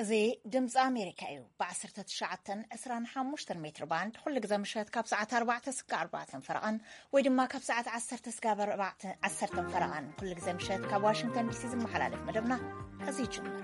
እዚ ድምፂ ኣሜሪካ እዩ። ብ19 25 ሜትር ባንድ ኩሉ ግዜ ምሸት ካብ ሰዓት ኣርባዕተ ስጋ ኣርባዕተን ፈረቓን ወይ ድማ ካብ ሰዓት ዓሰርተ ስጋ ኣርባዕተ ዓሰርተን ፈረቓን ኩሉ ግዜ ምሸት ካብ ዋሽንግተን ዲሲ ዝመሓላለፍ መደብና እዚ ይጅምር።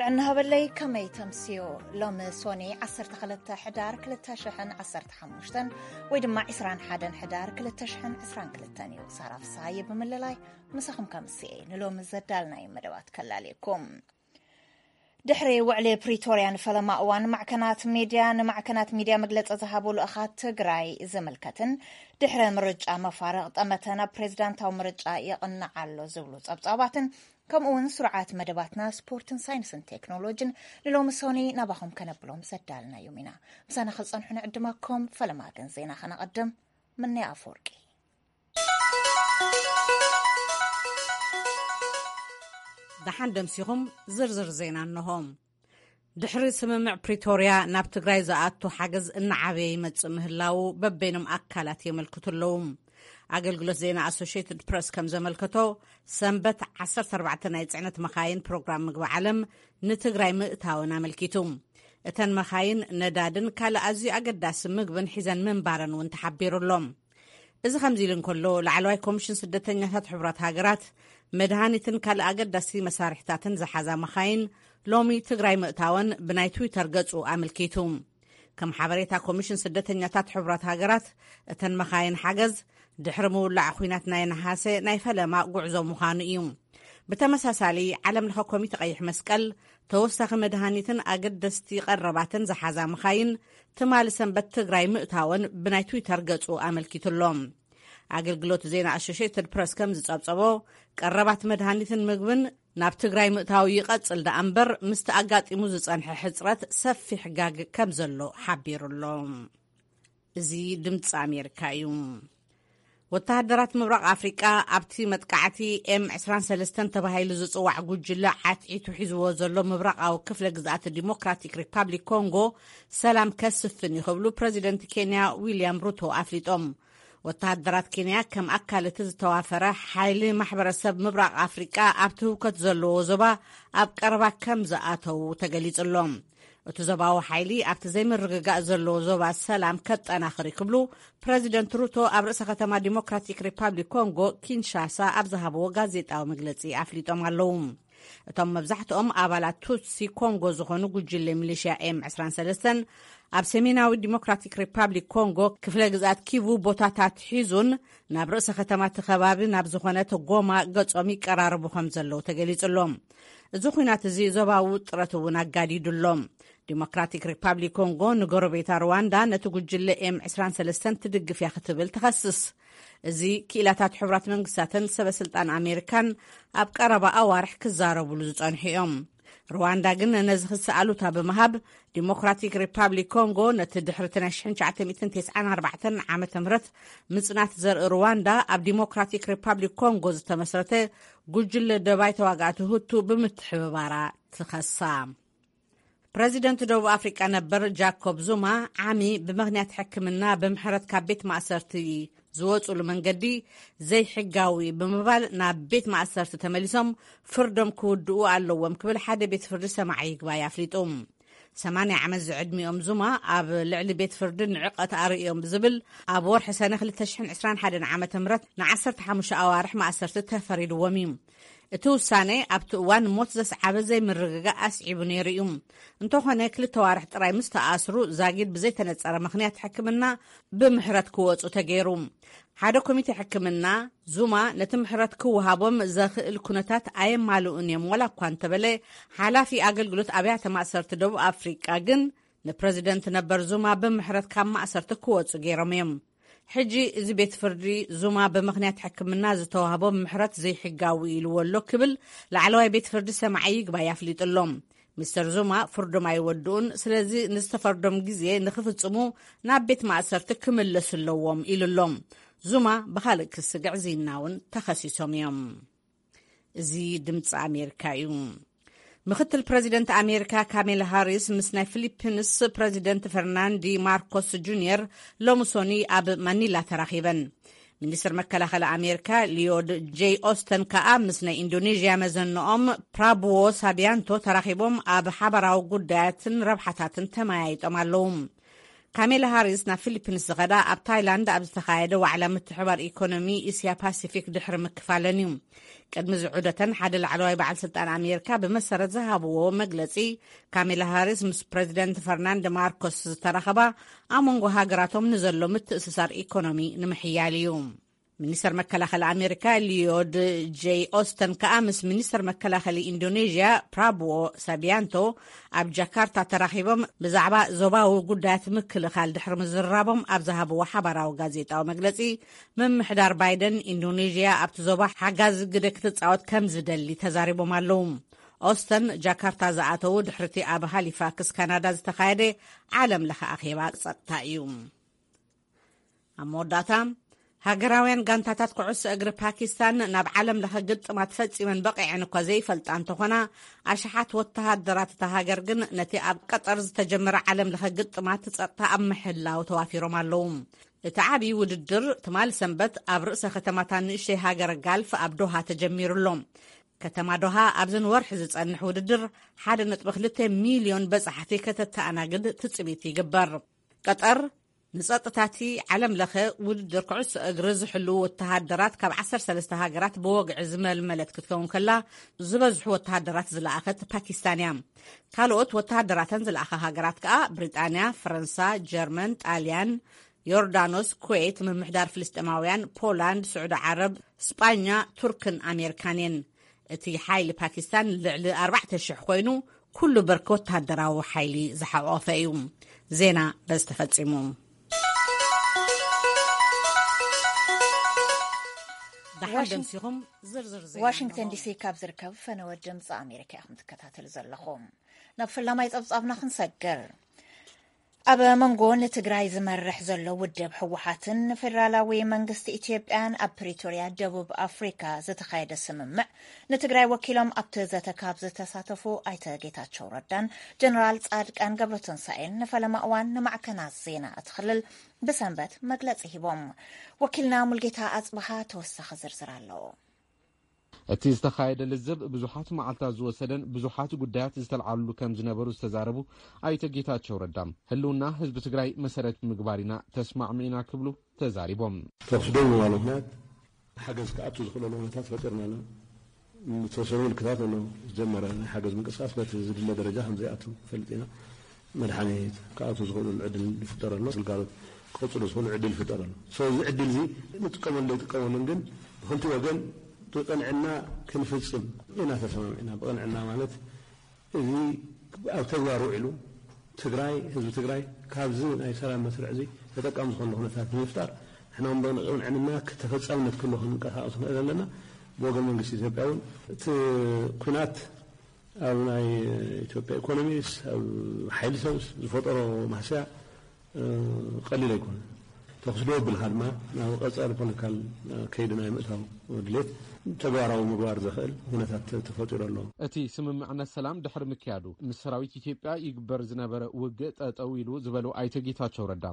ጥዕና ሃበለይ፣ ከመይ ተምስዮ? ሎሚ ሶኒ ዓሰርተ ክልተ ሕዳር ክልተ ሽሕን ዓሰርተ ሓሙሽተን ወይ ድማ ዕስራን ሓደን ሕዳር ክልተ ሽሕን ዕስራን ክልተን እዩ። ሳራ ፍስሃየ ብምልላይ ምሳኹም ከምስየ ንሎሚ ዘዳልናዮ መደባት ከላልየኩም። ድሕሪ ውዕሊ ፕሪቶርያ ንፈለማ እዋን ማዕከናት ሚድያ ንማዕከናት ሚድያ መግለፂ ዝሃቡ ልኡኻት ትግራይ ዝምልከትን ድሕሪ ምርጫ መፋርቕ ጠመተ ናብ ፕሬዚዳንታዊ ምርጫ የቕንዓሎ ዝብሉ ጸብጻባትን ከምኡ እውን ስሩዓት መደባትና ስፖርትን ሳይንስን ቴክኖሎጂን ንሎሚ ሶኒ ናባኹም ከነብሎም ዘዳልናዮም ኢና። ምሳና ክጸንሑ ንዕድመኩም። ፈለማ ግን ዜና ከነቐድም። ምንያ ኣፈወርቂ። ደሓን ደምሲኹም። ዝርዝር ዜና እንሆ። ድሕሪ ስምምዕ ፕሪቶርያ ናብ ትግራይ ዝኣቱ ሓገዝ እናዓበየ ይመጽእ ምህላዉ በበይኖም ኣካላት የመልክቱ ኣለዉ። ኣገልግሎት ዜና ኣሶሽየትድ ፕረስ ከም ዘመልከቶ፣ ሰንበት ዓሰርተ ኣርባዕተ ናይ ጽዕነት መኻይን ፕሮግራም ምግቢ ዓለም ንትግራይ ምእታወን ኣመልኪቱ። እተን መኻይን ነዳድን ካልእ ኣዝዩ ኣገዳሲ ምግብን ሒዘን ምንባረን እውን ተሓቢሩ ኣሎ። እዚ ከምዚ ኢሉ እንከሎ፣ ላዕለዋይ ኮሚሽን ስደተኛታት ሕቡራት ሃገራት መድሃኒትን ካልእ ኣገዳሲ መሳርሕታትን ዝሓዛ መኻይን ሎሚ ትግራይ ምእታወን ብናይ ትዊተር ገጹ ኣመልኪቱ። ከም ሓበሬታ ኮሚሽን ስደተኛታት ሕቡራት ሃገራት፣ እተን መኻይን ሓገዝ ድሕሪ ምውላዕ ኲናት ናይ ነሓሰ ናይ ፈለማ ጉዕዞ ምዃኑ እዩ። ብተመሳሳሊ፣ ዓለም ለኸ ኮሚተ ቀይሕ መስቀል ተወሳኺ መድሃኒትን ኣገደስቲ ቀረባትን ዝሓዛ መኻይን ትማሊ ሰንበት ትግራይ ምእታወን ብናይ ትዊተር ገጹ ኣመልኪቱ ኣሎ። ኣገልግሎት ዜና ኣሶሽየትድ ፕረስ ከም ዝጸብጸቦ፣ ቀረባት መድሃኒትን ምግብን ናብ ትግራይ ምእታው ይቐጽል ደኣ እምበር፣ ምስቲ ኣጋጢሙ ዝጸንሐ ሕጽረት ሰፊሕ ጋግ ከም ዘሎ ሓቢሩ ኣሎ። እዚ ድምፂ ኣሜሪካ እዩ። ወተሃደራት ምብራቕ ኣፍሪቃ ኣብቲ መጥቃዕቲ ኤም ዕስራን ሰለስተን ተባሂሉ ዝጽዋዕ ጉጅለ ዓትዒቱ ሒዝዎ ዘሎ ምብራቓዊ ክፍለ ግዝኣት ዲሞክራቲክ ሪፓብሊክ ኮንጎ ሰላም ከስፍን እዩ ክብሉ ፕረዚደንት ኬንያ ዊልያም ሩቶ ኣፍሊጦም። ወተሃደራት ኬንያ ከም ኣካል እቲ ዝተዋፈረ ሓይሊ ማሕበረሰብ ምብራቕ ኣፍሪቃ ኣብቲ ህውከት ዘለዎ ዞባ ኣብ ቀረባ ከም ዝኣተዉ ተገሊጹ ኣሎ። እቲ ዞባዊ ሓይሊ ኣብቲ ዘይምርግጋእ ዘለዎ ዞባ ሰላም ከጠናኽር እዩ ክብሉ ፕረዚደንት ሩቶ ኣብ ርእሰ ከተማ ዲሞክራቲክ ሪፓብሊክ ኮንጎ ኪንሻሳ ኣብ ዝሃብዎ ጋዜጣዊ መግለጺ ኣፍሊጦም ኣለዉ። እቶም መብዛሕትኦም ኣባላት ቱትሲ ኮንጎ ዝኾኑ ጉጅለ ሚሊሽያ ኤም ዕስራን ሰለስተን ኣብ ሰሜናዊ ዲሞክራቲክ ሪፓብሊክ ኮንጎ ክፍለ ግዝኣት ኪቩ ቦታታት ሒዙን ናብ ርእሰ ከተማ እቲ ከባቢ ናብ ዝኾነት ጎማ ገጾም ይቀራረቡ ከም ዘለዉ ተገሊጹ ኣሎ። እዚ ኲናት እዚ ዞባዊ ውጥረት እውን ኣጋዲዱ ኣሎ። ዲሞክራቲክ ሪፓብሊክ ኮንጎ ንጎረቤታ ሩዋንዳ ነቲ ጉጅለ ኤም ዕስራን ሰለስተን ትድግፍ እያ ክትብል ትኸስስ። እዚ ክኢላታት ሕቡራት መንግስታትን ሰበ ስልጣን ኣሜሪካን ኣብ ቀረባ ኣዋርሕ ክዛረቡሉ ዝጸንሑ እዮም። ሩዋንዳ ግን ነዚ ክሲ ኣሉታ ብምሃብ፣ ዲሞክራቲክ ሪፓብሊክ ኮንጎ ነቲ ድሕሪ እቲ ናይ ሽሕን ትሽዓተ ሚእትን ተስዓን ኣርባዕተን ዓመተ ምህረት ምጽናት ዘርኢ ሩዋንዳ ኣብ ዲሞክራቲክ ሪፓብሊክ ኮንጎ ዝተመስረተ ጉጅለ ደባይ ተዋጋእቲ ሁቱ ብምትሕብባራ ትኸሳ። ፕረዚደንት ደቡብ ኣፍሪቃ ነበር ጃኮብ ዙማ ዓሚ ብምኽንያት ሕክምና ብምሕረት ካብ ቤት ማእሰርቲ ዝወጹሉ መንገዲ ዘይሕጋዊ ብምባል ናብ ቤት ማእሰርቲ ተመሊሶም ፍርዶም ክውድኡ ኣለዎም ክብል ሓደ ቤት ፍርዲ ሰማዒ ይግባይ ኣፍሊጡ። ሰማንያ ዓመት ዝዕድሚኦም ዙማ ኣብ ልዕሊ ቤት ፍርዲ ንዕቀት ኣርእዮም ብዝብል ኣብ ወርሒ ሰነ ክልተ ሽሕን ዕስራን ሓደን ዓመተ ምህረት ንዓሰርተ ሓሙሽተ ኣዋርሕ ማእሰርቲ ተፈሪድዎም እዩ። እቲ ውሳነ ኣብቲ እዋን ሞት ዘስዓበ ዘይምርግጋእ ኣስዒቡ ነይሩ እዩ። እንተኾነ ክልተ ዋርሕ ጥራይ ምስ ተኣስሩ ዛጊድ ብዘይተነጸረ ምኽንያት ሕክምና ብምሕረት ክወጹ ተገይሩ። ሓደ ኮሚቴ ሕክምና ዙማ ነቲ ምሕረት ክወሃቦም ዘኽእል ኩነታት ኣየማልኡን እዮም ዋላ እኳ እንተበለ፣ ሓላፊ ኣገልግሎት ኣብያተ ማእሰርቲ ደቡብ ኣፍሪቃ ግን ንፕረዚደንት ነበር ዙማ ብምሕረት ካብ ማእሰርቲ ክወጹ ገይሮም እዮም። ሕጂ እዚ ቤት ፍርዲ ዙማ ብምኽንያት ሕክምና ዝተዋህቦ ምሕረት ዘይሕጋዊ ኢልዎ ኣሎ ክብል ላዕለዋይ ቤት ፍርዲ ሰማዒ ይግባይ ኣፍሊጡ ኣሎ። ሚስተር ዙማ ፍርዶም ኣይወድኡን፣ ስለዚ ንዝተፈርዶም ግዜ ንኽፍጽሙ ናብ ቤት ማእሰርቲ ክምለሱ ኣለዎም ኢሉ ኣሎ። ዙማ ብኻልእ ክሲ ግዕዝይና እውን ተኸሲሶም እዮም። እዚ ድምፂ ኣሜሪካ እዩ። ምክትል ፕረዚደንት ኣሜሪካ ካሜላ ሃሪስ ምስ ናይ ፊሊፒንስ ፕረዚደንት ፈርናንዲ ማርኮስ ጁኒየር ሎሚ ሶኒ ኣብ ማኒላ ተራኺበን። ሚኒስትር መከላኸሊ ኣሜሪካ ሊዮድ ጄይ ኦስተን ከኣ ምስ ናይ ኢንዶኔዥያ መዘንኦም ፕራቡዎ ሳቢያንቶ ተራኺቦም ኣብ ሓባራዊ ጉዳያትን ረብሓታትን ተመያይጦም ኣለዉ። ካሜላ ሃሪስ ናብ ፊሊፒንስ ዝኸዳ ኣብ ታይላንድ ኣብ ዝተኻየደ ዋዕላ ምትሕባር ኢኮኖሚ እስያ ፓሲፊክ ድሕሪ ምክፋለን እዩ። ቅድሚ ዝዑደተን ሓደ ላዕለዋይ በዓል ስልጣን ኣሜሪካ ብመሰረት ዝሃብዎ መግለጺ፣ ካሜላ ሃሪስ ምስ ፕረዚደንት ፈርናንድ ማርኮስ ዝተራኸባ ኣብ መንጎ ሃገራቶም ንዘሎ ምትእስሳር ኢኮኖሚ ንምሕያል እዩ። ሚኒስተር መከላኸሊ ኣሜሪካ ሊዮድ ጄይ ኦስተን ከኣ ምስ ሚኒስተር መከላኸሊ ኢንዶኔዥያ ፕራቡዎ ሳቢያንቶ ኣብ ጃካርታ ተራኺቦም ብዛዕባ ዞባዊ ጉዳያት ምክልኻል ድሕሪ ምዝራቦም ኣብ ዝሃብዎ ሓባራዊ ጋዜጣዊ መግለጺ፣ ምምሕዳር ባይደን ኢንዶኔዥያ ኣብቲ ዞባ ሓጋዚ ግደ ክትጻወት ከም ዝደሊ ተዛሪቦም ኣለዉ። ኦስተን ጃካርታ ዝኣተዉ ድሕርቲ ኣብ ሃሊፋክስ ካናዳ ዝተኻየደ ዓለም ለኸ ኣኼባ ጸጥታ እዩ። ኣብ መወዳእታ፣ ሃገራውያን ጋንታታት ኩዕሶ እግሪ ፓኪስታን ናብ ዓለም ለኸ ግጥማት ፈጺመን በቒዐን እኳ ዘይፈልጣ እንተኾና፣ ኣሽሓት ወተሃደራት እታ ሃገር ግን ነቲ ኣብ ቀጠር ዝተጀመረ ዓለም ለኸ ግጥማት ጸጥታ ኣብ ምሕላው ተዋፊሮም ኣለዉ። እቲ ዓብዪ ውድድር ትማል ሰንበት ኣብ ርእሰ ከተማታ ንእሽተይ ሃገር ጋልፍ ኣብ ዶሃ ተጀሚሩ ኣሎ። ከተማ ዶሃ ኣብዚ ንወርሒ ዝጸንሕ ውድድር ሓደ ነጥቢ ክልተ ሚልዮን በጻሕቲ ከተተኣናግድ ትጽቢት ይግበር። ቀጠር ንጸጥታቲ ዓለም ለኸ ውድድር ኩዕሶ እግሪ ዝሕልዉ ወተሃደራት ካብ ዓሰርተ ሰለስተ ሃገራት ብወግዒ ዝመልመለት ክትከውን ከላ፣ ዝበዝሑ ወተሃደራት ዝለኣኸት ፓኪስታን እያ። ካልኦት ወተሃደራተን ዝለኣኻ ሃገራት ከኣ ብሪጣንያ፣ ፈረንሳ፣ ጀርመን፣ ጣልያን፣ ዮርዳኖስ፣ ኩዌት፣ ምምሕዳር ፍልስጤማውያን፣ ፖላንድ፣ ስዑዲ ዓረብ፣ ስጳኛ፣ ቱርክን ኣሜሪካን እየን። እቲ ሓይሊ ፓኪስታን ልዕሊ ኣርባዕተ ሽሕ ኮይኑ፣ ኩሉ ብርኪ ወተሃደራዊ ሓይሊ ዝሓቖፈ እዩ። ዜና በዚ ተፈጺሙ። ደሓን ዋሽን-፣ ደምሲኹም ዝርዝር ዜና ዋሽንግተን ኣለዎ። ዲሲ ካብ ዝርከብ ፈነወ ድምፂ ኣሜሪካ ኢኹም ትከታተሉ ዘለኹም። ናብ ፈላማይ ጸብጻብና ክንሰግር። ኣብ መንጎ ንትግራይ ዝመርሕ ዘሎ ውድብ ህወሓትን ንፌደራላዊ መንግስቲ ኢትዮጵያን ኣብ ፕሪቶርያ ደቡብ ኣፍሪካ ዝተኻየደ ስምምዕ፣ ንትግራይ ወኪሎም ኣብቲ ዘተ ካብ ዝተሳተፉ ኣይተ ጌታቸው ረዳን ጀነራል ጻድቃን ገብረትንሳኤን ንፈለማ እዋን ንማዕከናት ዜና እቲ ክልል ብሰንበት መግለጺ ሂቦም። ወኪልና ሙልጌታ ኣጽብሃ ተወሳኺ ዝርዝር ኣለዎ። እቲ ዝተኻየደ ልዝብ ብዙሓት መዓልታት ዝወሰደን ብዙሓት ጉዳያት ዝተልዓልሉ ከም ዝነበሩ ዝተዛረቡ ኣይተ ጌታቸው ረዳ፣ ህልውና ህዝቢ ትግራይ መሰረት ብምግባር ኢና ተስማዕሚዕና ክብሉ ተዛሪቦም። ተኹሲ ደው ንምባሉ ምኽንያት፣ ሓገዝ ክኣቱ ዝኽእለሉ ኩነታት ፈጢርና ኣለና። ዝተወሰኑ ምልክታት ኣሎ። ዝጀመረ ናይ ሓገዝ ምንቅስቃስ በቲ ዝድለ ደረጃ ከም ዘይኣቱ ንፈልጥ ኢና። መድሓኒት ክኣቱ ዝኽእሉ ዕድል ይፍጠር ኣሎ። ግልጋሎት ክቕፅሉ ዝኽእሉ ዕድል ይፍጠር ኣሎ። So፣ እዚ ዕድል እዚ ንጥቀመሉ ኣይጥቀመሉን፣ ግን ብክልቲ ወገን ብቕንዕና ክንፍፅም ኢና ተሰማሚዕና። ብቕንዕና ማለት፣ እዚ ኣብ ተግባር ውዒሉ፣ ትግራይ፣ ህዝቢ ትግራይ ካብዚ ናይ ሰላም መስርዕ እዚ ተጠቃሚ ዝኾነ ኩነታት ንምፍጣር፣ ንሕና እውን ብቕንዕና ተፈጻምነት ክህልዎ ክንንቀሳቐስ ንኽእል ኣለና። ብወገን መንግስቲ ኢትዮጵያ እውን እቲ ኩናት ኣብ ናይ ኢትዮጵያ ኢኮኖሚስ፣ ኣብ ሓይሊ ሰብስ ዝፈጠሮ ማህሰያ፣ እ፣ ቀሊል ኣይኮነን። ተኹሲ ደው ኣቢልካ ድማ ናብ ቀጻሊ ፖለቲካል፣ እ፣ ከይዲ ናይ ምእታው ድሌት ተግባራዊ ምግባር ዘኽእል ኩነታት ተ-፣ ተፈጢሩ ኣሎ። እቲ ስምምዕነት ሰላም ድሕሪ ምክያዱ፣ ምስ ሰራዊት ኢትዮጵያ ይግበር ዝነበረ ውግእ ጠጠው ኢሉ ዝበሉ ኣይተ ጌታቸው ረዳ፣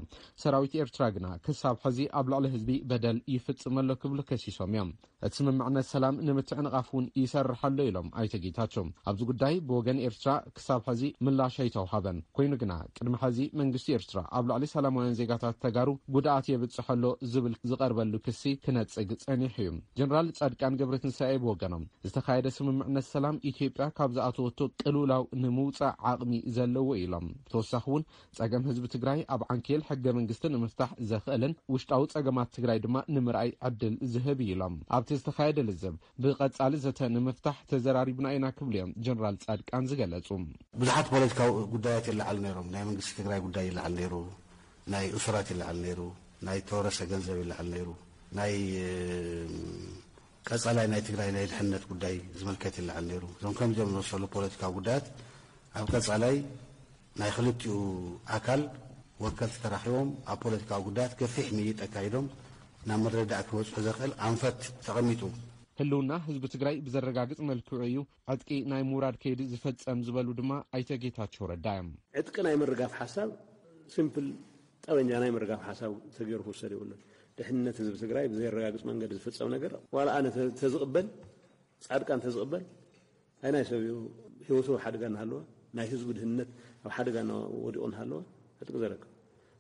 ሰራዊት ኤርትራ ግና ክሳብ ሕዚ ኣብ ልዕሊ ህዝቢ በደል ይፍጽም ኣሎ ክብሉ ከሲሶም እዮም። እቲ ስምምዕነት ሰላም ንምትዕንቓፍ እውን ይሰርሕ ኣሎ ኢሎም ኣይተ ጌታቸው። ኣብዚ ጉዳይ ብወገን ኤርትራ ክሳብ ሕዚ ምላሽ ኣይተውሃበን። ኮይኑ ግና ቅድሚ ሕዚ መንግስቲ ኤርትራ ኣብ ልዕሊ ሰላማውያን ዜጋታት ተጋሩ ጉድኣት የብጽሕ ኣሎ ዝብል ዝቐርበሉ ክሲ ክነጽግ ጸኒሑ እዩ። ጀነራል ጻድቃን ገብረትንሳኤ ብወገኖም ዝተኻየደ ስምምዕነት ሰላም ኢትዮጵያ ካብ ዝኣተወቶ ቅልውላው ንምውጻእ ዓቕሚ ዘለዎ ኢሎም። ብተወሳኺ እውን ጸገም ህዝቢ ትግራይ ኣብ ዓንኬል ሕገ መንግስቲ ንምፍታሕ ዘኽእልን ውሽጣዊ ጸገማት ትግራይ ድማ ንምርኣይ ዕድል ዝህብ እዩ ኢሎም። ኣብቲ ዝተኻየደ ልዝብ ብቐጻሊ ዘተ ንምፍታሕ ተዘራሪብና ኢና ክብሉ እዮም ጀነራል ጻድቃን ዝገለጹ። ብዙሓት ፖለቲካዊ ጉዳያት ይለዓሉ ነይሮም። ናይ መንግስቲ ትግራይ ጉዳይ ይለዓል ነይሩ፣ ናይ እሱራት ይለዓል ነይሩ፣ ናይ ተወረሰ ገንዘብ ይለዓል ነይሩ፣ ናይ፣ እ፣ ቀጻላይ ናይ ትግራይ ናይ ድሕነት ጉዳይ ዝምልከት ይለዓል ነይሩ። እዞም ከምዚኦም ዝመሰሉ ፖለቲካዊ ጉዳያት ኣብ ቀጻላይ ናይ ክልቲኡ ኣካል ወከልቲ ተራኺቦም ኣብ ፖለቲካዊ ጉዳያት ገፊሕ ምይይጥ ኣካይዶም ናብ ምርድዳእ ክበጽሑ ዘኽእል ኣንፈት ተቐሚጡ። ህልውና ህዝቢ ትግራይ ብዘረጋግፅ መልክዑ እዩ ዕጥቂ ናይ ምውራድ ከይዲ ዝፈፀም ዝበሉ ድማ ኣይተ ጌታቸው ረዳ እዮም። ዕጥቂ ናይ ምርጋፍ ሓሳብ ሲምፕል ጠበንጃ ናይ ምርጋፍ ሓሳብ ተገይሩ ክውሰድ የብሉን። ድሕንነት ህዝቢ ትግራይ ብዘየረጋግፅ መንገዲ ዝፍፀም ነገር ዋላ ኣነ ተዝቕበል ፃድቃን ተዝቕበል ኣይናይ ሰብ እዩ ህይወቱ ኣብ ሓደጋ እናሃለወ ናይ ህዝቡ ድህንነት ኣብ ሓደጋ ወዲቑ እናሃለወ ዕጥቂ ዘረክብ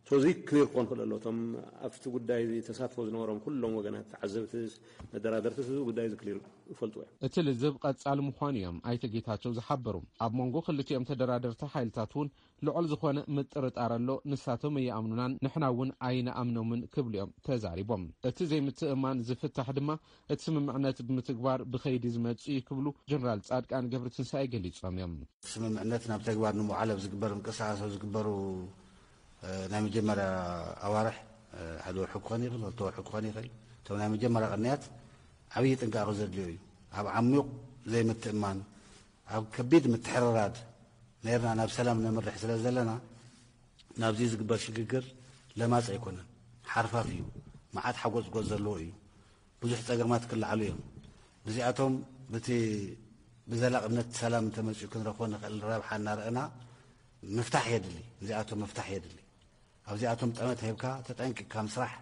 ሶዚ ክሊር ክኾን ክእል ኣሎ። እቶም ኣብቲ ጉዳይ ተሳትፎ ዝነበሮም ኩሎም ወገናት ተዓዘብትስ መደራደርትስ እዚ ጉዳይ እዚ ክሊር ይፈልጡ እዮም። እቲ ልዝብ ቀጻሊ ምዃኑ እዮም ኣይተ ጌታቸው ዝሓበሩ። ኣብ መንጎ ክልቲኦም ተደራደርቲ ሓይልታት እውን ልዑል ዝኾነ ምጥርጣር ኣሎ። ንሳቶም ኣይኣምኑናን ንሕና እውን ኣይንኣምኖምን ክብሉ እዮም ተዛሪቦም። እቲ ዘይምትእማን ዝፍታሕ ድማ እቲ ስምምዕነት ብምትግባር ብኸይዲ ዝመጽእ እዩ ክብሉ ጀነራል ጻድቃን ገብረትንሳኤ ገሊጾም እዮም። ስምምዕነት ናብ ተግባር ንምውዓል ኣብ ዝግበር ምንቅስቃስ ኣብ ዝግበሩ ናይ መጀመርያ ኣዋርሕ ሓደ ወርሒ ክኾን ይኽእል፣ ክልተ ወርሒ ክኾን ይኽእል። እቶም ናይ መጀመርያ ቅንያት ዓብዪ ጥንቃቐ ዘድልዮ እዩ። ኣብ ዓሚቕ ዘይምትእማን ኣብ ከቢድ ምትሕርራድ ነርና ናብ ሰላም ነምርሕ ስለ ዘለና ናብዚ ዝግበር ሽግግር ለማፅ ኣይኮነን። ሓርፋፍ እዩ። መዓት ሓጎፅጎፅ ዘለዎ እዩ። ብዙሕ ፀገማት ክለዓሉ እዮም። እዚኣቶም ብቲ ብዘላቕነት ሰላም እንተመፂኡ ክንረኽቦ ንኽእል ረብሓ እናረእና ምፍታሕ የድሊ። እዚኣቶም ምፍታሕ የድሊ። ኣብዚኣቶም ጠመት ሂብካ ተጠንቂቕካ ምስራሕ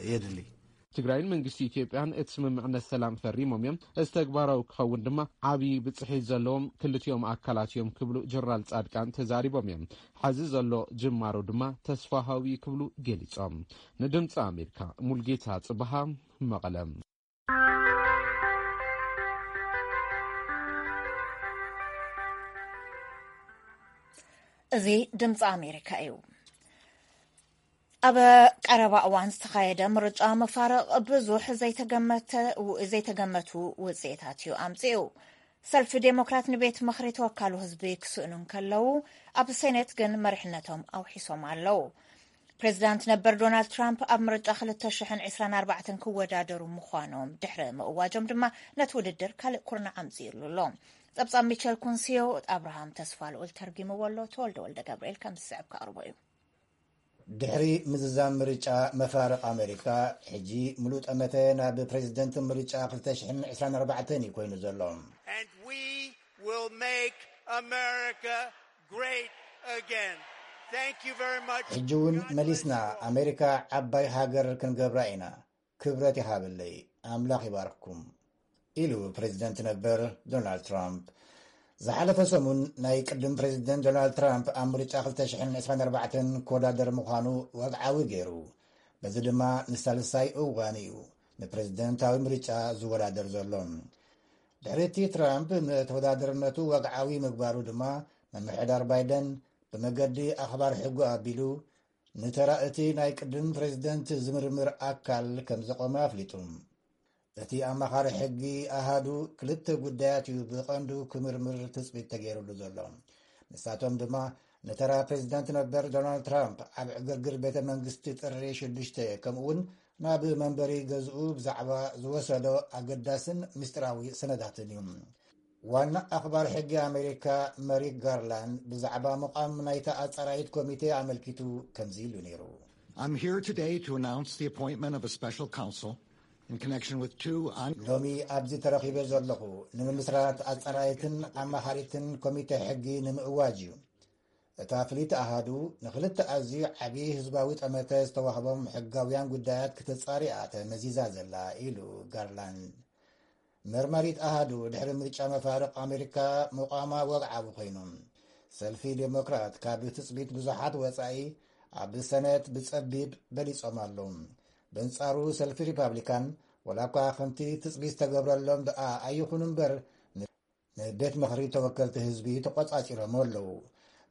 የድሊ። ትግራይን መንግስቲ ኢትዮጵያን እቲ ስምምዕነት ሰላም ፈሪሞም እዮም። እዚ ተግባራዊ ክኸውን ድማ ዓብዪ ብፅሒት ዘለዎም ክልቲኦም ኣካላት እዮም ክብሉ ጀነራል ፃድቃን ተዛሪቦም እዮም። ሐዚ ዘሎ ጅማሮ ድማ ተስፋ ሃዊ ክብሉ ገሊፆም። ንድምፂ ኣሜሪካ ሙልጌታ ፅበሃ መቐለ። እዚ ድምፂ ኣሜሪካ እዩ። ኣብ ቀረባ እዋን ዝተኻየደ ምርጫ መፋርቕ ብዙሕ ዘይተገመቱ ውፅኢታት እዩ ኣምፅኡ። ሰልፊ ዴሞክራት ንቤት ምኽሪ ተወካሉ ህዝቢ ክስእኑ እንከለዉ ኣብ ሴኔት ግን መሪሕነቶም ኣውሒሶም ኣለዉ። ፕሬዚዳንት ነበር ዶናልድ ትራምፕ ኣብ ምርጫ ክልተ ሽሕን ዕስራን ኣርባዕተን ክወዳደሩ ምዃኖም ድሕሪ ምእዋጆም ድማ ነቲ ውድድር ካልእ ኩርናዕ ኣምፅእሉ ኣሎ። ፀብፃብ ሚቸል ኩንሲዮ ኣብርሃም ተስፋ ልኡል ተርጊምዎ ኣሎ። ተወልደ ወልደ ገብርኤል ከም ዝስዕብ ከቕርቦ እዩ። ድሕሪ ምዝዛም ምርጫ መፋርቕ ኣመሪካ፣ ሕጂ ሙሉእ ጠመተ ናብ ፕሬዚደንት ምርጫ ክልተ ሽሕን ዕስራን ኣርባዕተን እዩ ኮይኑ ዘሎ። And we will make America great again. Thank you very much. ሕጂ እውን መሊስና ኣሜሪካ ዓባይ ሃገር ክንገብራ ኢና። ክብረት ይሃበለይ። ኣምላኽ ይባርክኩም። ኢሉ ፕሬዚደንት ነበር ዶናልድ ትራምፕ። ዝሓለፈ ሰሙን ናይ ቅድም ፕሬዚደንት ዶናልድ ትራምፕ ኣብ ምርጫ ክልተ ሽሕን ዕስራን ኣርባዕተን ክወዳደር ምዃኑ ወግዓዊ ገይሩ። በዚ ድማ ንሳልሳይ እዋን እዩ ንፕሬዚደንታዊ ምርጫ ዝወዳደር ዘሎ። ድሕሪ እቲ ትራምፕ ንተወዳደርነቱ ወግዓዊ ምግባሩ ድማ ምምሕዳር ባይደን ብመገዲ ኣኽባር ሕጉ ኣቢሉ ንተራ እቲ ናይ ቅድም ፕሬዚደንት ዝምርምር ኣካል ከም ዘቖመ ኣፍሊጡ። እቲ ኣማኻሪ ሕጊ ኣሃዱ ክልተ ጉዳያት እዩ ብቐንዱ ክምርምር ትፅቢት ተገይሩሉ ዘሎ። ንሳቶም ድማ ንተራ ፕሬዚዳንት ነበር ዶናልድ ትራምፕ ኣብ ዕግርግር ቤተ መንግስቲ ጥሪ ሽዱሽተ ከምኡ እውን ናብ መንበሪ ገዝኡ ብዛዕባ ዝወሰዶ ኣገዳስን ምስጢራዊ ሰነዳትን እዩ። ዋና ኣኽባር ሕጊ ኣሜሪካ መሪክ ጋርላንድ ብዛዕባ ምቋም ናይታ ኣጻራይት ኮሚቴ ኣመልኪቱ ከምዚ ኢሉ ነይሩ። I'm here today to announce the appointment of a special counsel in connection with two on ሎሚ ኣብዚ ተረኺበ ዘለኹ ንምምስራት ኣጻራይትን ኣማኻሪትን ኮሚቴ ሕጊ ንምእዋጅ እዩ። እታ ፍልይቲ ኣሃዱ ንኽልተ ኣዝዩ ዓብዪ ህዝባዊ ጠመተ ዝተዋህቦም ሕጋውያን ጉዳያት ክተጻሪ እያ ተመዚዛ ዘላ ኢሉ ጋርላንድ። መርማሪት ኣሃዱ ድሕሪ ምርጫ መፋርቕ ኣሜሪካ ምቋማ ወግዓዊ ኮይኑ፣ ሰልፊ ዴሞክራት ካብ ትጽቢት ብዙሓት ወጻኢ ኣብ ሰነት ብጸቢብ በሊጾም ኣለዉ። በንጻሩ ሰልፊ ሪፓብሊካን ወላ እኳ ከምቲ ትጽቢት ዝተገብረሎም ደኣ ኣይኹኑ እምበር ንቤት ምኽሪ ተወከልቲ ህዝቢ ተቆጻጺሮም ኣለዉ።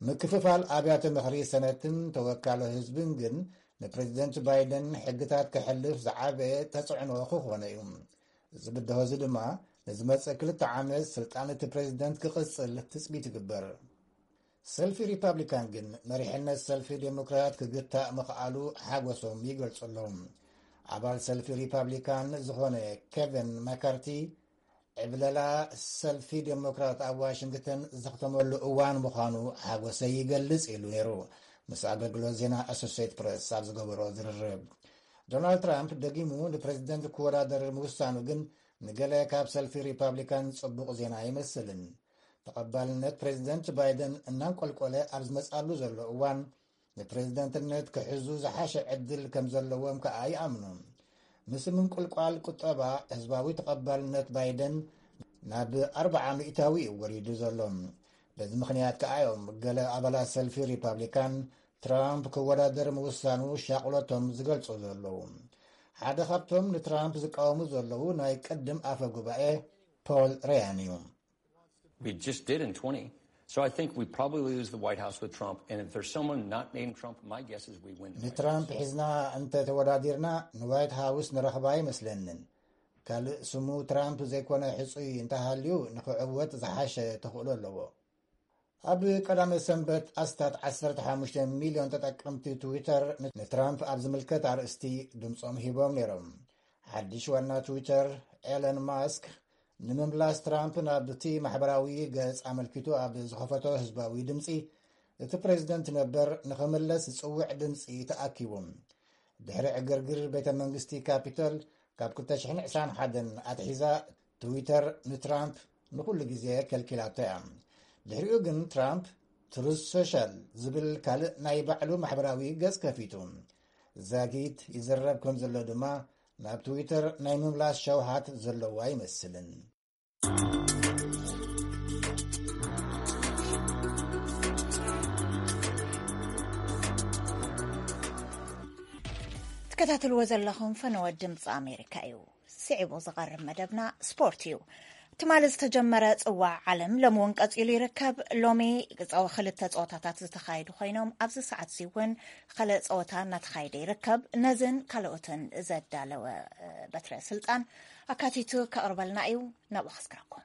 ምክፍፋል ኣብያተ ምኽሪ ሰነትን ተወካሎ ህዝብን ግን ንፕሬዚደንት ባይደን ሕግታት ከሕልፍ ዝዓበየ ተጽዕኖ ክኾነ እዩ። እዚ ብድሆ እዚ ድማ ንዝመጽእ ክልተ ዓመት ስልጣን እቲ ፕሬዚደንት ክቕጽል ትጽቢት ይግበር። ሰልፊ ሪፓብሊካን ግን መሪሕነት ሰልፊ ዴሞክራት ክግታእ ምኽኣሉ ሓጎሶም ይገልጹ ኣለዉ። ኣባል ሰልፊ ሪፓብሊካን ዝኾነ ኬቨን ማካርቲ ዕብለላ ሰልፊ ዴሞክራት ኣብ ዋሽንግተን ዘኽተመሉ እዋን ምዃኑ ሓጎሰይ ይገልጽ ኢሉ ነይሩ ምስ ኣገልግሎት ዜና ኣሶሴት ፕረስ ኣብ ዝገበሮ ዝርርብ። ዶናልድ ትራምፕ ደጊሙ ንፕሬዚደንት ክወዳደር ምውሳኑ ግን ንገለ ካብ ሰልፊ ሪፓብሊካን ጽቡቕ ዜና ኣይመስልን። ተቐባልነት ፕሬዚደንት ባይደን እናንቆልቆለ ኣብ ዝመጻሉ ዘሎ እዋን፣ ንፕሬዚደንትነት ክሕዙ ዝሓሸ ዕድል ከም ዘለዎም ከኣ ይኣምኑ። ምስ ምንቁልቋል ቁጠባ፣ ህዝባዊ ተቐባልነት ባይደን ናብ ኣርብዓ ሚእታዊ እዩ ወሪዱ ዘሎ። በዚ ምኽንያት ከኣ እዮም ገለ ኣባላት ሰልፊ ሪፓብሊካን ትራምፕ ክወዳደር ምውሳኑ ሻቕሎቶም ዝገልጹ ዘለዉ። ሓደ ካብቶም ንትራምፕ ዝቃወሙ ዘለዉ ናይ ቅድም ኣፈ ጉባኤ ፖል ሬያን እዩ። We just did in twenty. So I think we probably lose the White House with Trump. And if there's someone not named Trump, my guess is we win. ንትራምፕ ሒዝና እንተተወዳዲርና ንዋይት ሃውስ ንረኽባ ኣይመስለንን። ካልእ ስሙ ትራምፕ ዘይኮነ ሕጹይ እንተሃልዩ ንኽዕወት ዝሓሸ ተኽእሎ ኣለዎ። ኣብ ቀዳመ ሰንበት ኣስታት ዓሰርተ ሓሙሽተ ሚልዮን ተጠቀምቲ ትዊተር ንትራምፕ ኣብ ዝምልከት ኣርእስቲ ድምጾም ሂቦም ነይሮም። ሓድሽ ዋና ትዊተር ኤለን ማስክ ንምምላስ ትራምፕ ናብቲ ማሕበራዊ ገጽ ኣመልኪቱ ኣብ ዝኸፈቶ ህዝባዊ ድምጺ፣ እቲ ፕሬዚደንት ነበር ንኽምለስ ዝጽውዕ ድምጺ ተኣኪቡ። ድሕሪ ዕግርግር ቤተ መንግስቲ ካፒቶል ካብ ክልተ ሽሕን ዕስራን ሓደን ኣትሒዛ፣ ትዊተር ንትራምፕ ንኹሉ ግዜ ከልኪላቶ እያ። ድሕሪኡ ግን ትራምፕ ትሩዝ ሶሻል ዝብል ካልእ ናይ ባዕሉ ማሕበራዊ ገጽ ከፊቱ። ዛጊት ይዝረብ ከም ዘሎ ድማ፣ ናብ ትዊተር ናይ ምምላስ ሸውሃት ዘለዎ ኣይመስልን። ትከታተልዎ ዘለኹም ፈነወ ድምፂ ኣሜሪካ እዩ። ስዒቡ ዝቐርብ መደብና ስፖርት እዩ። ትማሊ ዝተጀመረ ፅዋዕ ዓለም ሎሚ እውን ቀፂሉ ይርከብ። ሎሚ ክልተ ፀወታታት ዝተኻየዱ ኮይኖም ኣብዚ ሰዓት እዚ እውን ካልእ ፀወታ እናተኻየደ ይርከብ። ነዝን ካልኦትን ዘዳለወ በትረ ስልጣን ኣካቲቱ ከቕርበልና እዩ። ናብኡ ከስግረኩም።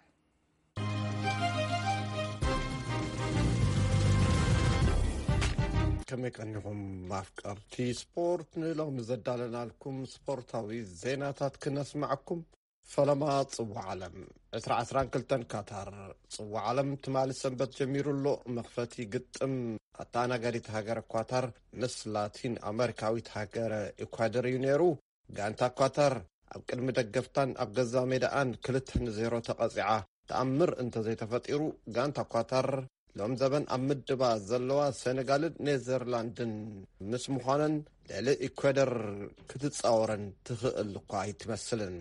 ከመይ ቀኒኹም ኣፍቀርቲ ስፖርት? ንሎሚ ዘዳለናልኩም ስፖርታዊ ዜናታት ክነስማዕኩም። ፈለማ ጽዋዕ ዓለም ዕስራ ዕስራን ክልተን ካታር። ጽዋዕ ዓለም ትማሊ ሰንበት ጀሚሩ ኣሎ። መኽፈቲ ግጥም ኣተኣናጋዲት ሃገር ኳታር ምስ ላቲን ኣመሪካዊት ሃገር ኢኳደር እዩ ነይሩ። ጋንታ ኳታር ኣብ ቅድሚ ደገፍታን ኣብ ገዛ ሜዳኣን ክልተ ንዜሮ ተቐጺዓ። ተኣምር እንተዘይተፈጢሩ፣ ጋንታ ኳታር ሎም ዘበን ኣብ ምድባ ዘለዋ ሴኔጋልን ኔዘርላንድን ምስ ምዃነን ልዕሊ ኢኳደር ክትጻወረን ትኽእል እኳ ኣይትመስልን።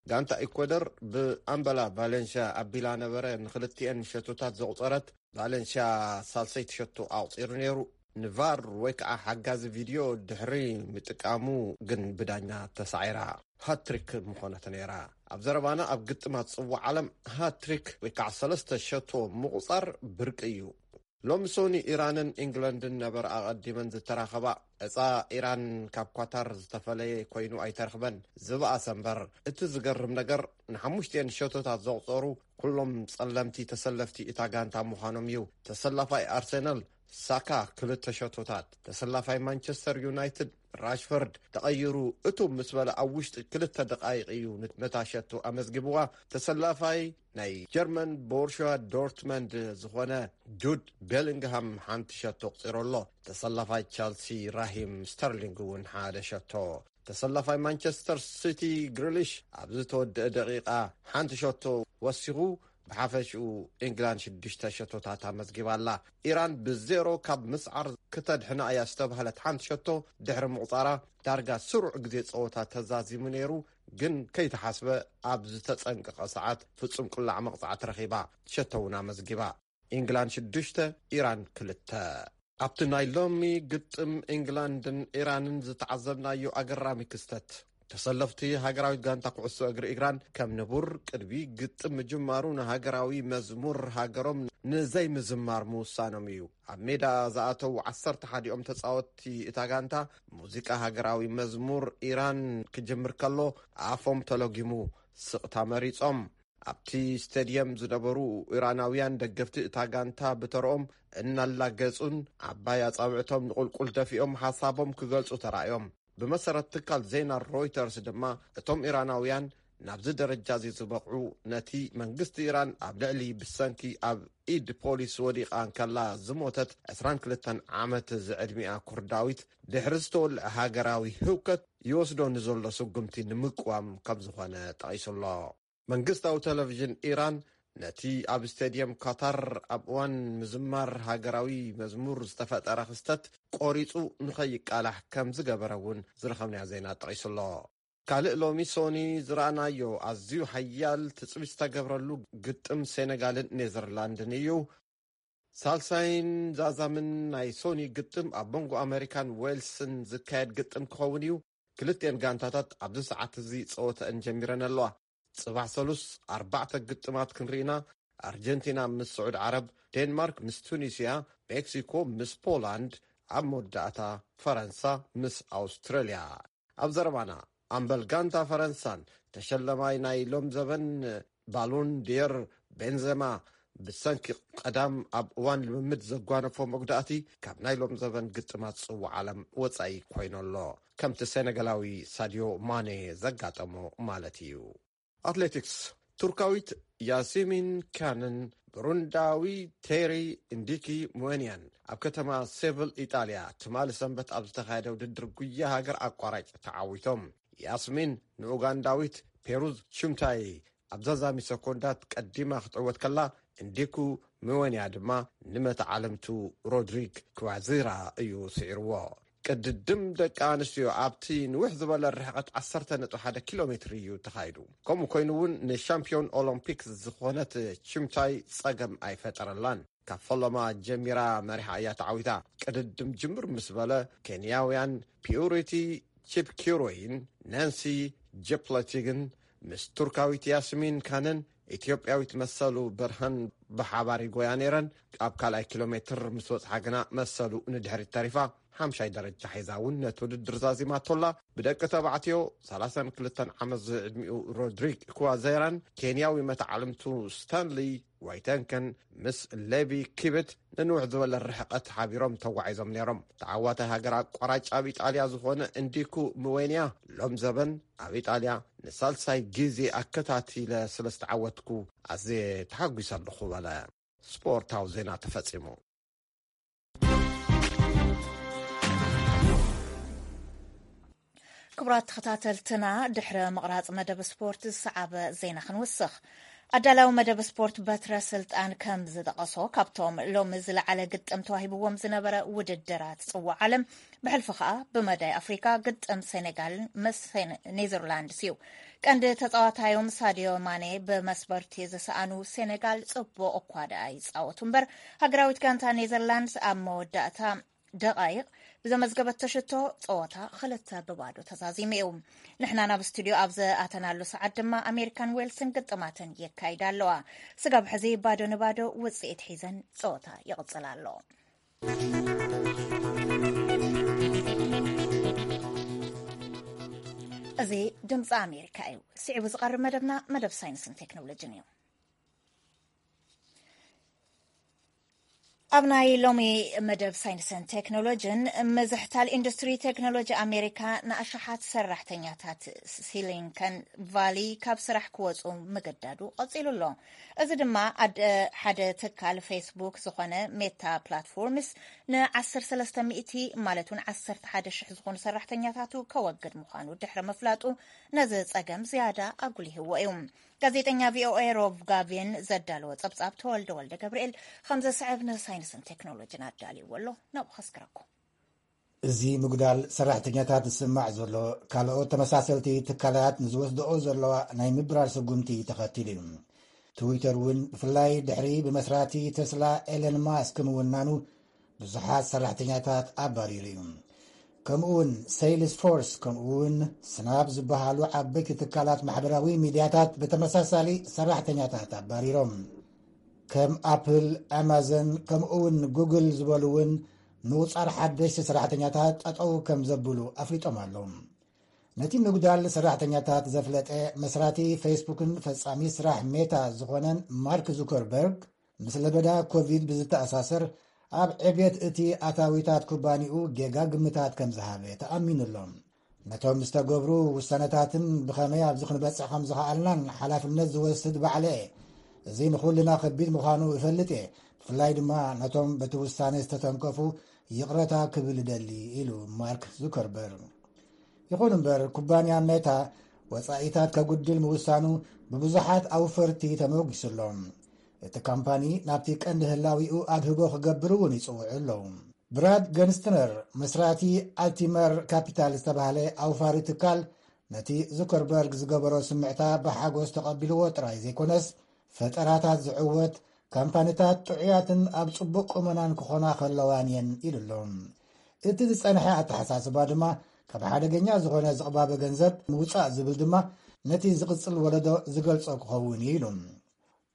ጋንታ ኢኳደር ብኣምበላ ቫሌንሽያ ኣቢላ ነበረ ንኽልቲኤን ሸቶታት ዘቑጸረት። ቫሌንሽያ ሳልሰይቲ ሸቶ ኣቑጺሩ ነይሩ። ንቫር ወይ ከዓ ሓጋዚ ቪድዮ ድሕሪ ምጥቃሙ ግን ብዳኛ ተሳዒራ። ሃትሪክ ምኾነት ነይራ። ኣብ ዘረባና ኣብ ግጥማት ጽዋዕ ዓለም ሃትሪክ ወይ ከዓ ሰለስተ ሸቶ ምቑጻር ብርቂ እዩ። ሎሚ ሶኒ ኢራንን ኢንግላንድን ነበር ኣቐዲመን ዝተራኸባ። ዕፃ ኢራን ካብ ኳታር ዝተፈለየ ኮይኑ ኣይተረኽበን። ዝበኣሰ እምበር እቲ ዝገርም ነገር ንሓሙሽቲኤን ሸቶታት ዘቑፀሩ ኩሎም ጸለምቲ ተሰለፍቲ እታ ጋንታ ምዃኖም እዩ። ተሰላፋይ ኣርሰናል ሳካ ክልተ ሸቶታት፣ ተሰላፋይ ማንቸስተር ዩናይትድ ራሽፈርድ ተቐይሩ እቱ ምስ በለ ኣብ ውሽጢ ክልተ ደቃይቕ እዩ ነታ ሸቶ ኣመዝጊብዋ። ተሰላፋይ ናይ ጀርመን ቦሩሽያ ዶርትመንድ ዝኾነ ጁድ ቤሊንግሃም ሓንቲ ሸቶ ኣቑጺሩ ኣሎ። ተሰላፋይ ቸልሲ ራሂም ስተርሊንግ እውን ሓደ ሸቶ። ተሰላፋይ ማንቸስተር ሲቲ ግሪሊሽ ኣብ ዝተወደአ ደቂቓ ሓንቲ ሸቶ ወሲኹ። ብሓፈሽኡ ኢንግላንድ ሽዱሽተ ሸቶታት ኣመዝጊባ ኣላ። ኢራን ብዜሮ ካብ ምስዓር ክተድሕና እያ ዝተባህለት ሓንቲ ሸቶ ድሕሪ ምቑጻራ ዳርጋ ስሩዕ ግዜ ጸወታ ተዛዚሙ ነይሩ፣ ግን ከይተሓስበ ኣብ ዝተጸንቀቐ ሰዓት ፍጹም ቅላዕ መቕጻዕቲ ረኺባ ሸቶ እውን ኣመዝጊባ። ኢንግላንድ ሽዱሽተ ኢራን ክልተ። ኣብቲ ናይ ሎሚ ግጥም ኢንግላንድን ኢራንን ዝተዓዘብናዮ ኣገራሚ ክስተት፣ ተሰለፍቲ ሃገራዊት ጋንታ ኩዕሶ እግሪ ኢራን ከም ንቡር ቅድሚ ግጥም ምጅማሩ ንሃገራዊ መዝሙር ሃገሮም ንዘይምዝማር ምውሳኖም እዩ። ኣብ ሜዳ ዝኣተዉ ዓሰርተ ሓዲኦም ተጻወትቲ እታ ጋንታ ሙዚቃ ሃገራዊ መዝሙር ኢራን ክጅምር ከሎ ኣፎም ተለጊሙ ስቕታ መሪጾም። ኣብቲ ስቴድየም ዝነበሩ ኢራናውያን ደገፍቲ እታ ጋንታ ብተርኦም እናላገጹን ዓባይ ኣጻብዕቶም ንቑልቁል ደፊኦም ሓሳቦም ክገልጹ ተራእዮም። ብመሰረት ትካል ዜና ሮይተርስ ድማ እቶም ኢራናውያን ናብዚ ደረጃ እዚ ዝበቕዑ ነቲ መንግስቲ ኢራን ኣብ ልዕሊ ብሰንኪ ኣብ ኢድ ፖሊስ ወዲቓ እንከላ ዝሞተት ዕስራን ክልተን ዓመት ዝዕድሚኣ ኩርዳዊት ድሕሪ ዝተወልዐ ሃገራዊ ህውከት ይወስዶ ንዘሎ ስጉምቲ ንምቅዋም ከም ዝኾነ ጠቒሱ ኣሎ። መንግስታዊ ቴሌቪዥን ኢራን ነቲ ኣብ ስቴድየም ካታር ኣብ እዋን ምዝማር ሃገራዊ መዝሙር ዝተፈጠረ ክስተት ቆሪጹ ንኸይቃላሕ ከም ዝገበረ እውን ዝረኸብናዮ ዜና ጠቒሱ ኣሎ። ካልእ ሎሚ ሶኒ ዝረኣናዮ ኣዝዩ ሓያል ትጽቢት ዝተገብረሉ ግጥም ሴኔጋልን ኔዘርላንድን እዩ። ሳልሳይን ዛዛምን ናይ ሶኒ ግጥም ኣብ መንጎ ኣመሪካን ዌልስን ዝካየድ ግጥም ክኸውን እዩ። ክልቲኤን ጋንታታት ኣብዚ ሰዓት እዚ ጸወተአን ጀሚረን ኣለዋ። ጽባሕ ሰሉስ ኣርባዕተ ግጥማት ክንርኢና፣ ኣርጀንቲና ምስ ስዑድ ዓረብ፣ ዴንማርክ ምስ ቱኒስያ፣ ሜክሲኮ ምስ ፖላንድ፣ ኣብ መወዳእታ ፈረንሳ ምስ ኣውስትራልያ። ኣብ ዘረባና፣ ኣምበል ጋንታ ፈረንሳን ተሸለማይ ናይ ሎም ዘበን ባሎን ዲየር ቤንዘማ፣ ብሰንኪ ቀዳም ኣብ እዋን ልምምድ ዘጓነፎ መጉዳእቲ፣ ካብ ናይ ሎም ዘበን ግጥማት ጽዋዕ ዓለም ወጻኢ ኮይኑ ኣሎ። ከምቲ ሴነጋላዊ ሳድዮ ማኔ ዘጋጠሞ ማለት እዩ። ኣትሌቲክስ፣ ቱርካዊት ያሲሚን ካንን ብሩንዳዊ ቴሪ ኢንዲኪ ሙዌንያን ኣብ ከተማ ሴቭል ኢጣልያ ትማሊ ሰንበት ኣብ ዝተኻየደ ውድድር ጉያ ሃገር ኣቋራጭ ተዓዊቶም። ያስሚን ንኡጋንዳዊት ፔሩዝ ቹምታይ ኣብ ዛዛሚ ሰኮንዳት ቀዲማ ክትዕወት ከላ፣ ኢንዲኩ ሙዌንያ ድማ ንመተዓልምቱ ሮድሪግ ክዋዚራ እዩ ስዒርዎ። ቅድድም ደቂ ኣንስትዮ ኣብቲ ንውሕ ዝበለ ርሕቐት ዓሰርተ ነጥቢ ሓደ ኪሎ ሜትር እዩ ተኻይዱ። ከምኡ ኮይኑ እውን ንሻምፒዮን ኦሎምፒክ ዝኾነት ቺምታይ ጸገም ኣይፈጠረላን። ካብ ፈለማ ጀሚራ መሪሓ እያ ተዓዊታ። ቅድድም ጅምር ምስ በለ፣ ኬንያውያን ፒዩሪቲ ቺፕኪሩይን ናንሲ ጀፕለቲግን ምስ ቱርካዊት ያስሚን ካንን ኢትዮጵያዊት መሰሉ ብርሃን ብሓባር ይጎያ ነይረን። ኣብ ካልኣይ ኪሎ ሜትር ምስ በጽሓ ግና መሰሉ ንድሕሪት ተሪፋ ሓምሻይ ደረጃ ሒዛ እውን ነቲ ውድድር ዛዚማቶላ። ብደቂ ተባዕትዮ፣ ሰላሳን ክልተን ዓመት ዝዕድሚኡ ሮድሪግ ክዋዜራን ኬንያዊ መተዓልምቱ ስታንሊ ዋይተንከን ምስ ሌቪ ኪብት ንንውሕ ዝበለ ርሕቀት ሓቢሮም ተጓዒዞም ነይሮም። ተዓዋታይ ሃገር ኣቋራጭ ኣብ ኢጣልያ ዝኾነ እንዲኩ ምዌንያ፣ ሎም ዘበን ኣብ ኢጣልያ ንሳልሳይ ግዜ ኣከታቲለ ስለ ዝተዓወትኩ ኣዝየ ተሓጒሰ ኣለኹ በለ። ስፖርታዊ ዜና ተፈጺሙ። ክቡራት ተኸታተልትና፣ ድሕሪ ምቕራጽ መደብ ስፖርት ዝሰዓበ ዜና ክንውስኽ። ኣዳላዊ መደብ ስፖርት በትረ ስልጣን ከም ዝጠቐሶ፣ ካብቶም ሎሚ ዝለዓለ ግጥም ተዋሂብዎም ዝነበረ ውድድራት ጽዋዕ ዓለም፣ ብሕልፊ ኸኣ ብመዳይ ኣፍሪካ ግጥም ሴኔጋል ምስ ሴን-፣ ኔዘርላንድስ እዩ። ቀንዲ ተጻዋታዮም ሳዲዮ ማኔ ብመስበርቲ ዝሰኣኑ ሴኔጋል ጽቡቕ እኳ ደኣ ይጻወቱ እምበር፣ ሃገራዊት ጋንታ ኔዘርላንድስ ኣብ መወዳእታ ደቓይቕ ብዘመዝገበቶ ሽቶ ጸወታ ክልተ ብባዶ ተዛዚሙ እዩ። ንሕና ናብ ስቱድዮ ኣብ ዝኣተናሉ ሰዓት ድማ ኣሜሪካን ዌልስን ግጥማተን የካይዳ ኣለዋ። ስጋብ ሕዚ ባዶ ንባዶ ውጽኢት ሒዘን ጸወታ ይቕጽል ኣሎ። እዚ ድምፂ ኣሜሪካ እዩ። ስዒቡ ዝቐርብ መደብና መደብ ሳይንስን ቴክኖሎጂን እዩ። ኣብ ናይ ሎሚ መደብ ሳይንስን ቴክኖሎጂን፣ ምዝሕታል ኢንዱስትሪ ቴክኖሎጂ ኣሜሪካ ንኣሽሓት ሰራሕተኛታት ሲሊንከን ቫሊ ካብ ስራሕ ክወፁ ምግዳዱ ቀፂሉ ኣሎ። እዚ ድማ ኣደ ሓደ ትካል ፌስቡክ ዝኾነ ሜታ ፕላትፎርምስ ን ዓሰርተ ሰለስተ ሚእቲ ማለት እውን ዓሰርተ ሓደ ሽሕ ዝኾኑ ሰራሕተኛታቱ ከወግድ ምዃኑ ድሕሪ ምፍላጡ፣ ነዚ ጸገም ዝያዳ ኣጉሊህዎ እዩ። ጋዜጠኛ ቪኦኤ ሮብ ጋቪን ዘዳለዎ ጸብጻብ ተወልደ ወልደ ገብርኤል ከም ዘስዕብ ንሳይንስን ቴክኖሎጂን ኣዳልይዎ ኣሎ። ናብኡ ከስክረኩም። እዚ ምጉዳል ሰራሕተኛታት ዝስማዕ ዘሎ፣ ካልኦት ተመሳሰልቲ ትካላት ንዝወስድኦ ዘለዋ ናይ ምብራር ስጉምቲ ተኸቲሉ እዩ። ትዊተር እውን ብፍላይ ድሕሪ ብመስራቲ ተስላ ኤለን ማስክ ምውናኑ ብዙሓት ሰራሕተኛታት ኣባሪሩ እዩ። ከምኡ እውን ሴልስ ፎርስ፣ ከምኡ እውን ስናፕ ዝበሃሉ ዓበይቲ ትካላት ማሕበራዊ ሚድያታት ብተመሳሳሊ ሰራሕተኛታት ኣባሪሮም። ከም ኣፕል፣ ኣማዞን፣ ከምኡ እውን ጉግል ዝበሉ እውን ምቑጻር ሓደሽቲ ሰራሕተኛታት ጠጠው ከም ዘብሉ ኣፍሊጦም ኣለዉ። ነቲ ምጉዳል ሰራሕተኛታት ዘፍለጠ መስራቲ ፌስቡክን ፈጻሚ ስራሕ ሜታ ዝኾነን ማርክ ዙከርበርግ፣ ምስ ለበዳ ኮቪድ ብዝተኣሳሰር ኣብ ዕብየት እቲ ኣታዊታት ኩባንኡ ጌጋ ግምታት ከም ዝሃበ ተኣሚኑ ኣሎ። ነቶም ዝተገብሩ ውሳነታትን ብኸመይ ኣብዚ ክንበጽሕ ከም ዝኸኣልናን ሓላፍነት ዝወስድ ባዕለ እየ። እዚ ንኹልና ከቢድ ምዃኑ እፈልጥ እየ። ብፍላይ ድማ ነቶም በቲ ውሳነ ዝተተንከፉ ይቕረታ ክብል እደሊ፣ ኢሉ ማርክ ዙከርበርግ። ይኹን እምበር፣ ኩባንያ ሜታ ወጻኢታት ከጉድል ምውሳኑ ብብዙሓት ኣውፈርቲ ተመጒሱ ኣሎ። እቲ ካምፓኒ ናብቲ ቀንዲ ህላዊኡ ኣድህቦ ክገብር እውን ይጽውዑ ኣለዉ። ብራድ ገንስትነር፣ መስራቲ ኣልቲመር ካፒታል ዝተባህለ ኣውፋሪ ትካል፣ ነቲ ዙከርበርግ ዝገበሮ ስምዕታ ብሓጎስ ተቐቢልዎ ጥራይ ዘይኮነስ፣ ፈጠራታት ዝዕወት ካምፓኒታት ጥዑያትን ኣብ ጽቡቕ ቁመናን ክኾና ከለዋን እየን ኢሉ ኣሎ። እቲ ዝጸንሐ ኣተሓሳስባ ድማ፣ ካብ ሓደገኛ ዝኾነ ዝቕባበ ገንዘብ ምውጻእ ዝብል ድማ፣ ነቲ ዝቕጽል ወለዶ ዝገልጾ ክኸውን እዩ ኢሉ።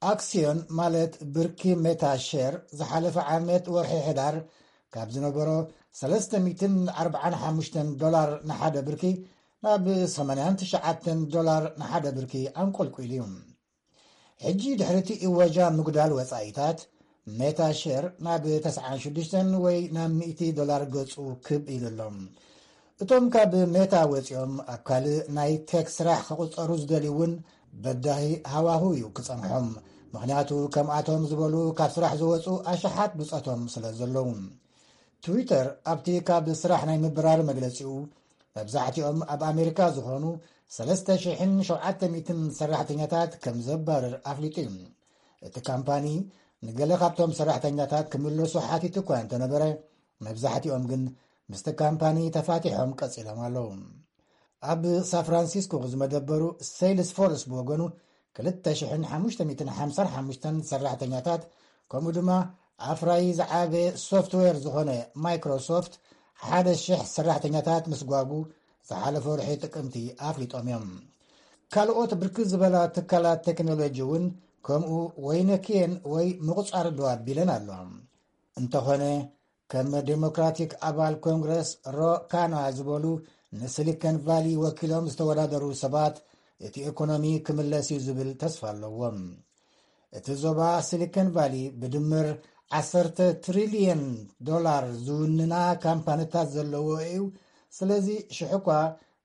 ኣክስዮን፣ ማለት ብርኪ ሜታ ሼር፣ ዝሓለፈ ዓመት ወርሒ ሕዳር ካብ ዝነበሮ ሰለስተ ሚእትን ኣርባዓን ሓሙሽተን ዶላር ንሓደ ብርኪ ናብ ሰማንያን ትሽዓተን ዶላር ንሓደ ብርኪ ኣንቆልቂሉ እዩ። ሕጂ ድሕሪ እቲ እወጃ ምጉዳል ወጻኢታት፣ ሜታ ሼር ናብ ተስዓን ሽዱሽተን ወይ ናብ ሚእቲ ዶላር ገጹ ክብ ኢሉ ኣሎ። እቶም ካብ ሜታ ወጺኦም ኣብ ካልእ ናይ ቴክ ስራሕ ክቑጸሩ ዝደልዩ እውን በዳሂ ሃዋሁ እዩ ክጸንሖም። ምኽንያቱ ከምኣቶም ዝበሉ ካብ ስራሕ ዝወጹ ኣሽሓት ብጾቶም ስለ ዘለዉ። ትዊተር ኣብቲ ካብ ስራሕ ናይ ምብራር መግለጺኡ፣ መብዛሕትኦም ኣብ ኣሜሪካ ዝኾኑ ሰለስተ ሽሕን ሸውዓተ ሚእትን ሰራሕተኛታት ከም ዘባርር ኣፍሊጡ እዩ። እቲ ካምፓኒ ንገለ ካብቶም ሰራሕተኛታት ክምለሱ ሓቲቱ እኳ እንተነበረ፣ መብዛሕትኦም ግን ምስቲ ካምፓኒ ተፋቲሖም ቀጺሎም ኣለዉ። ኣብ ሳን ፍራንሲስኮ ዝመደበሩ ሴልስ ፎርስ ብወገኑ፣ ክልተ ሽሕን ሓሙሽተ ሚእትን ሓምሳን ሓሙሽተን ሰራሕተኛታት፣ ከምኡ ድማ ኣፍራዪ ዝዓበየ ሶፍትዌር ዝኾነ ማይክሮሶፍት፣ ሓደ ሽሕ ሰራሕተኛታት ምስጓጉ ዝሓለፈ ወርሒ ጥቅምቲ ኣፍሊጦም እዮም። ካልኦት ብርክት ዝበላ ትካላት ቴክኖሎጂ እውን ከምኡ ወይነክየን ወይ ምቑጻር ደው ኣቢለን ኣለዋ። እንተኾነ፣ ከም ዴሞክራቲክ ኣባል ኮንግረስ ሮ ካና ዝበሉ ንሲሊኮን ቫሊ ወኪሎም ዝተወዳደሩ ሰባት፣ እቲ ኢኮኖሚ ክምለስ እዩ ዝብል ተስፋ ኣለዎም። እቲ ዞባ ሲሊኮን ቫሊ ብድምር ዓሰርተ ትሪልየን ዶላር ዝውንና ካምፓኒታት ዘለዎ እዩ። ስለዚ ሽሕ እኳ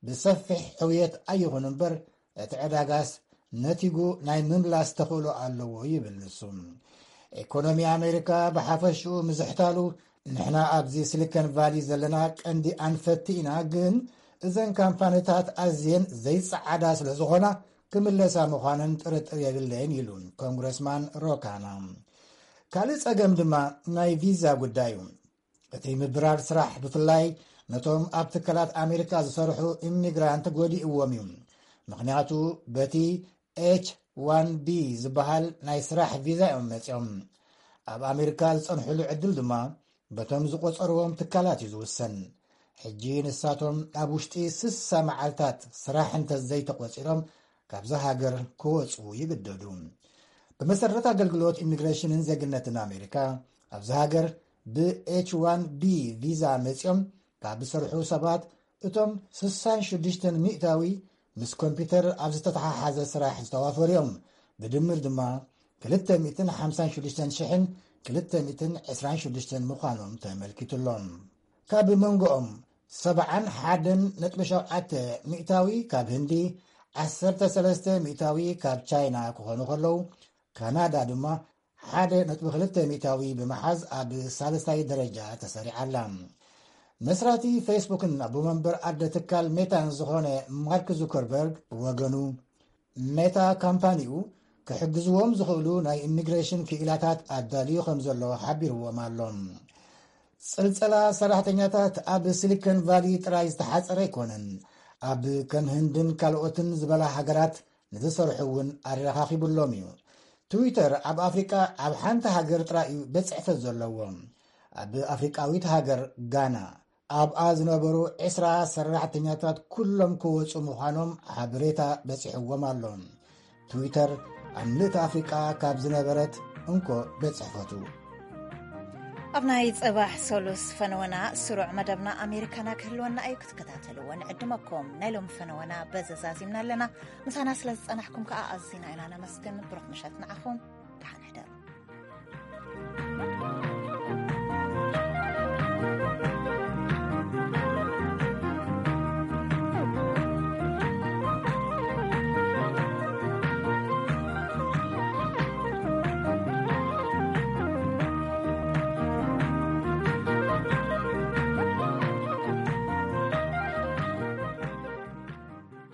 ብሰፊሕ ሕውየት ኣይኹን እምበር፣ እቲ ዕዳጋስ ነቲጉ ናይ ምምላስ ተኽእሎ ኣለዎ ይብል ንሱ። ኢኮኖሚ ኣሜሪካ ብሓፈሽኡ ምዝሕታሉ፣ ንሕና ኣብዚ ሲሊኮን ቫሊ ዘለና ቀንዲ ኣንፈቲ ኢና፣ ግን እዘን ካምፓኒታት ኣዝየን ዘይጸዓዳ ስለ ዝኾና ክምለሳ ምዃነን ጥርጥር የብለይን ኢሉ ኮንግረስማን ሮ ካና። ካልእ ጸገም ድማ ናይ ቪዛ ጉዳይ እዩ። እቲ ምብራር ስራሕ ብፍላይ ነቶም ኣብ ትካላት ኣሜሪካ ዝሰርሑ ኢሚግራንት ጎዲእዎም እዩ። ምኽንያቱ በቲ ኤች ዋን ቢ ዝበሃል ናይ ስራሕ ቪዛ እዮም መጺኦም። ኣብ ኣሜሪካ ዝጸንሕሉ ዕድል ድማ በቶም ዝቆጸርዎም ትካላት እዩ ዝውሰን። ሕጂ ንሳቶም ኣብ ውሽጢ ስሳ መዓልታት ስራሕ እንተ ዘይተቆጺሮም ካብዛ ሃገር ክወጹ ይግደዱ። ብመሰረት ኣገልግሎት ኢሚግሬሽንን ዜግነትን ኣሜሪካ፣ ኣብዚ ሃገር ብ ኤች ዋን ቢ ቪዛ መጺኦም ካብ ዝሰርሑ ሰባት፣ እቶም ስሳን ሽዱሽተን ሚእታዊ ምስ ኮምፒውተር ኣብ ዝተተሓሓዘ ስራሕ ዝተዋፈሩ እዮም። ብድምር ድማ ክልተ ሚእትን ሓምሳን ሽዱሽተን ሽሕን ክልተ ሚእትን ዕስራን ሽዱሽተን ምዃኖም ተመልኪቱ ኣሎ። ካብ መንጎኦም ሰብዓን ሓደን ነጥቢ ሸውዓተ ሚእታዊ ካብ ህንዲ፣ ዓሰርተ ሰለስተ ሚእታዊ ካብ ቻይና ክኾኑ ከለዉ፣ ካናዳ ድማ ሓደ ነጥቢ ክልተ ሚእታዊ ብምሓዝ ኣብ ሳልሳይ ደረጃ ተሰሪዓ ኣላ። መስራቲ ፌስቡክን ኣቦ መንበር ኣደ ትካል ሜታን ዝኾነ ማርክ ዙከርበርግ ብወገኑ፣ ሜታ ካምፓኒኡ ክሕግዝዎም ዝኽእሉ ናይ ኢሚግሬሽን ክኢላታት ኣዳልዩ ከም ዘሎ ሓቢርዎም ኣሎ። ጽልጸላ ሰራሕተኛታት ኣብ ሲሊኮን ቫሊ ጥራይ ዝተሓጸረ ኣይኮነን። ኣብ ከም ህንድን ካልኦትን ዝበላ ሃገራት ንዝሰርሑ እውን ኣረኻኺቡሎም እዩ። ትዊተር ኣብ ኣፍሪቃ ኣብ ሓንቲ ሃገር ጥራይ እዩ ቤት ጽሕፈት ዘለዎ። ኣብ ኣፍሪቃዊት ሃገር ጋና፣ ኣብኣ ዝነበሩ ዕስራ ሰራሕተኛታት ኩሎም ክወጹ ምዃኖም ሓበሬታ በጺሕዎም ኣሎ። ትዊተር ኣብ ምልእቲ ኣፍሪቃ ካብ ዝነበረት እንኮ ቤት ጽሕፈቱ። ኣብ ናይ ጽባሕ ሰሉስ ፈነወና ስሩዕ መደብና ኣሜሪካና ክህልወና እዩ፣ ክትከታተልዎ ንዕድመኩም። ናይ ሎሚ ፈነወና በዚ ዛዚምና ኣለና። ምሳና ስለ ዝጸናሕኩም ከኣ ኣዚና ኢና ነመስግን። ብሩኽ ምሸት ንዓኹም። ደሓን ሕደሩ።